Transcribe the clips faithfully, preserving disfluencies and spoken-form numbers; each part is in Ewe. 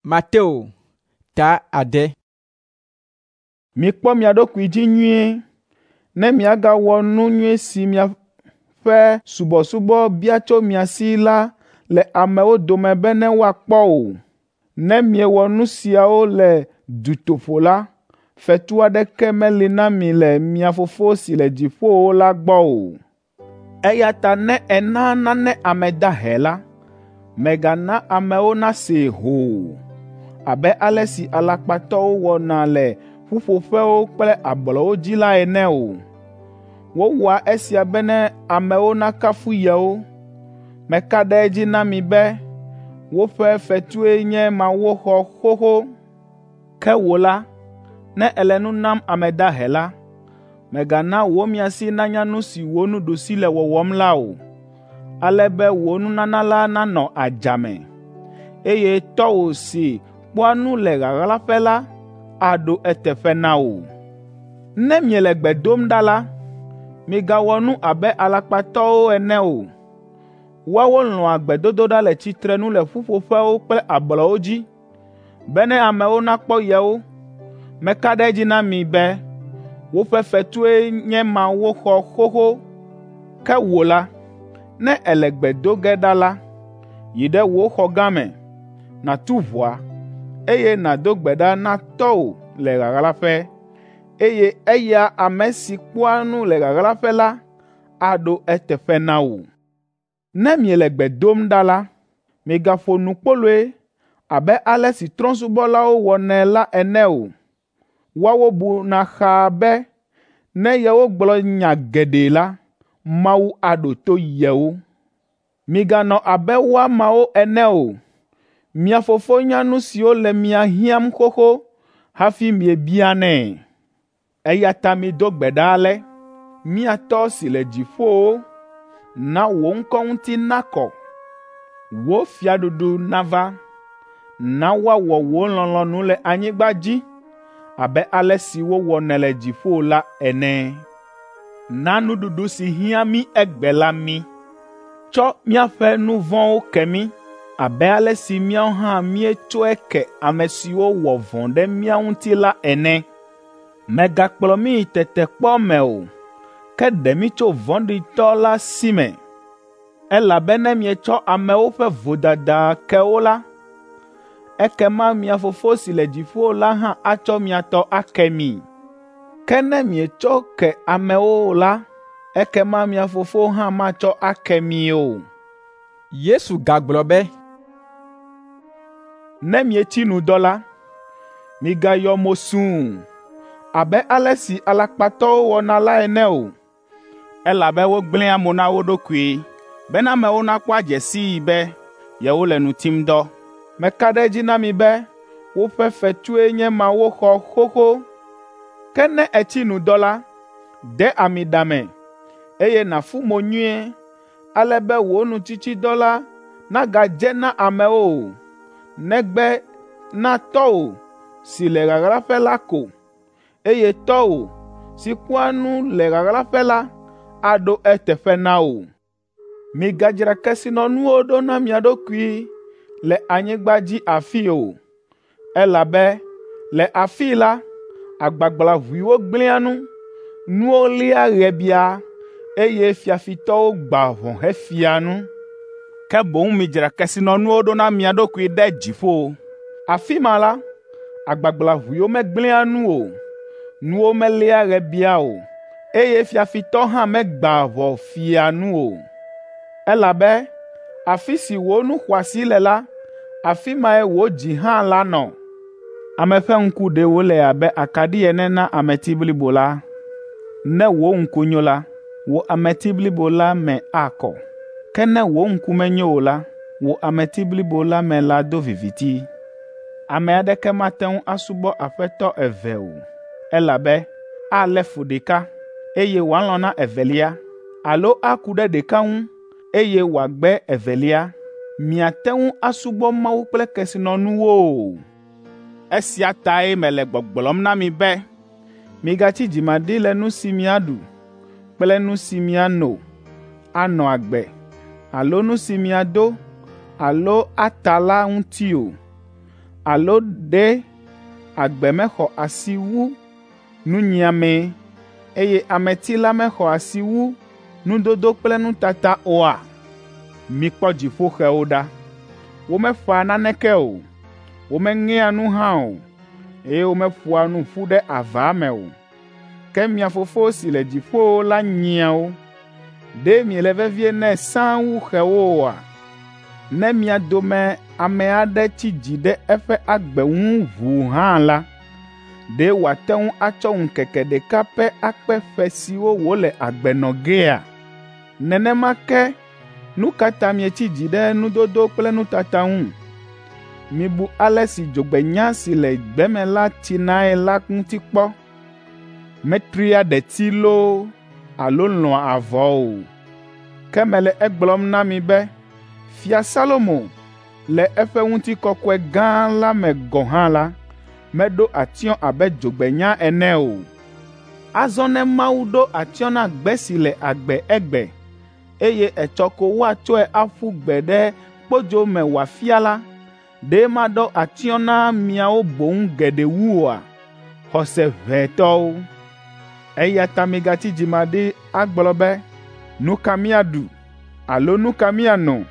Mateo ta ade. Mikpɔ mia ɖokui dzi nyuie, ne miagawɔ nu nyui si miaƒe subɔsubɔ bia tso mia si la le amewo dome bene woakpɔ o. Ne miewɔ nu siawo le dutoƒo la, fetu aɖeke meli na mi le mia Fofo si le dziƒowo la gbɔ o. Eya ta ne èna nane ame dahe la, mègana amewo nasee hoo abe ale si alakpatɔwo wɔna le ƒuƒoƒewo kple ablɔwo dzi la ene o. Wowɔa esia bene amewo nakafu yewo. Meka ɖe edzi na mi be woƒe fetue nye ma woxɔ xoxo. Ke wò la, ne èle nu nam ame dahe la, mègana wò miasi nanya nu si wò nuɖusi le wɔwɔm la o, ale be wò nunana la nanɔ adzame, eye tɔwò si kpɔa nu le ɣaɣlaƒe la aɖo eteƒe na wò. Ne miele gbe dom ɖa la, migawɔ nu abe alakpatɔwo ene o. Woawo lɔ̃a gbedodoɖa le tsitrenu le ƒuƒoƒewo kple ablɔwo dzi, bene amewo nakpɔ yewo. Meka ɖe edzi na mi be woƒe fetue nye ma woxɔ xoxo. Ke wò la, ne èle gbe do ge ɖa la, yi ɖe wò xɔ gã me, nàtu ʋɔa, eye nàdo gbe ɖa na Tɔ́wò le ɣaɣlaƒe, eye eya ame si kpɔa nu le ɣaɣlaƒe la aɖo eteƒe na wò. Ne miele gbe dom ɖa la, migaƒo nu kpoloe abe ale si trɔ̃subɔlawo wɔnɛ la ene o. Woawo buna xaa be ne yewogblɔ nya geɖe la, Mawu aɖo to yewo. Miganɔ abe woamawo ene o. Mia Fofo nya nu siwo le mia hiãm xoxo hafi miebianɛ. Eya ta mido gbe ɖa ale: Mía Tɔ́ si le dziƒowo, na wò ŋkɔ ŋuti nakɔ. Wò fiaɖuɖu nava. Na woawɔ wò lɔlɔ̃nu le anyigba dzi abe ale si wowɔnɛ le dziƒo la ene. Na nuɖuɖu si hiã mí egbe la mí. Tsɔ míaƒe nu vɔ̃wo ke mí abe ale si míawo hã míetsɔe ke ame siwo wɔ vɔ̃ ɖe mía ŋuti la ene. Mègakplɔ mí yi tetekpɔ me o, ke ɖe mí tso vɔ̃ɖitɔ la si me. Elabe ne mietsɔ amewo ƒe vodada ke wo la, ekema mia Fofo si le dziƒo la hã atsɔ mia tɔ ake mi. Ke ne mietsɔ ke amewo o la, ekema mia Fofo hã matsɔ ake mi o. Yesu gagblɔ be, Ne mietsi nu dɔ la, migayɔ mo sũu abe ale si alakpatɔwo wɔna la ene o, elabe wogblẽa mo na wo ɖokui bena amewo nakpɔ adze sii be yewole nu tim dɔ. Meka ɖe edzi na mi be woƒe fetue nye ma woxɔ xoxo. Ke ne ètsi nu dɔ la, de ami ɖa me, eye nàfu mo nyuie, ale be wò nutsitsidɔ la nagadze na amewo o, negbe na Tɔ́wò si le ɣaɣlaƒe la ko, eye Tɔ́wò si kpɔa nu le ɣaɣlaƒe la aɖo eteƒe na wò. Migadzra kesinɔnuwo ɖo na mia ɖokui le anyigba dzi afii o, elabe le afii la, agbagblaʋuiwo gblẽa nu, nuwo lia ɣebia, eye fiafitɔwo gbãa ʋɔ hefia nu. Ke boŋ midzra kesinɔnuwo ɖo na mia ɖokui ɖe dziƒo. Afi ma la, agbagblaʋuiwo megblẽa nu o, nuwo melia ɣebia o, eye fiafitɔ hã megbãa ʋɔ fia nu o. Elabe afi si wò nu xɔasi le la, afi mae wò dzi hã lanɔ. Ame ƒe ŋku ɖe wòle abe akaɖi ene na ameti blibo la. Ne wò ŋku nyo la, wò ameti blibo la me akɔ. Ke ne wò ŋku menyo o la, wò ameti blibo la me lado viviti. Ame aɖeke mate ŋu asubɔ aƒetɔ eve o, elabe alé fu ɖeka, eye wòalɔ̃ na evelia, alo aku ɖe ɖeka ŋu, eye wòagbe evelia. Miate ŋu asubɔ Mawu kple kesinɔnuwo o. Esia tae mele gbɔgblɔm na mi be, migatsi dzimaɖi le nu si miaɖu kple nu si miano anɔ agbe alo nu si miado alo ata la ŋuti o. Alo ɖe agbe mexɔ asi wu nunyiame, eye ameti la mexɔ asi wu nudodo kple nutata oa? Mikpɔ dziƒoxewo ɖa. Womeƒãa naneke o, womeŋea nu hã o, eye womeƒoa nu ƒu ɖe ava me o. Ke mia Fofo si le dziƒowo la nyia wo. Ɖe miele vevie nɛ sãa wu xewo oa? Ne mia dome ame aɖe tsi dzi ɖe eƒe agbe ŋu ʋuu hã la, ɖe wòate ŋu atsɔ ŋkeke ɖeka pɛ akpe ƒe siwo wòle agbe nɔ gea? Nenema ke nu ka ta mietsi dzi ɖe nudodo kple nutata ŋu? Mibu ale si dzogbenya si le gbe me la tsinae la ŋuti kpɔ. Metrea ɖeti loo alo lɔ̃a avɔ o. Ke mele egblɔm na mi be Fia Salomo le eƒe ŋutikɔkɔe gã la me gɔ̃ hã la, meɖo atsyɔ̃ abe dzogbenya ene o. Azɔ ne Mawu ɖo atsyɔ̃ na gbe si le agbe egbe, eye etsɔ ko woatsɔe aƒu gbe ɖe kpodzo me wòafia la, ɖe maɖo atsyɔ̃ na miawo boŋ geɖe wu oa? Xɔse ʋɛ tɔwo. Eya ta migatsi dzimaɖi agblɔ be, “Nu ka míaɖu?” alo “Nu ka míano?”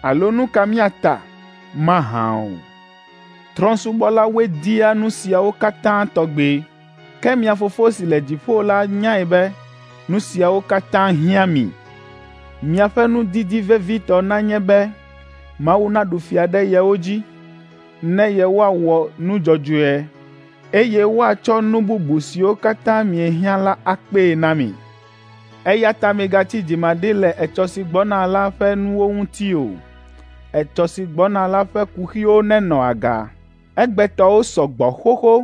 alo “Nu ka míata?” mahã o. Trɔ̃subɔlawoe dia nu siawo katã tɔgbe. Ke mia Fofo si le dziƒo la nyae be nu siawo katã hiã mi. Miaƒe nudidi vevitɔ nanye be Mawu naɖu fia ɖe yewo dzi, ne yewoawɔ nu dzɔdzɔe, eye woatsɔ nu bubu siwo katã miehiã la akpee na mi. Eya ta migatsi dzimaɖi le etsɔ si gbɔna la ƒe nuwo ŋuti o. Etsɔ si gbɔna la ƒe kuxiwo nenɔ aga. Egbetɔwo sɔ gbɔ xoxo.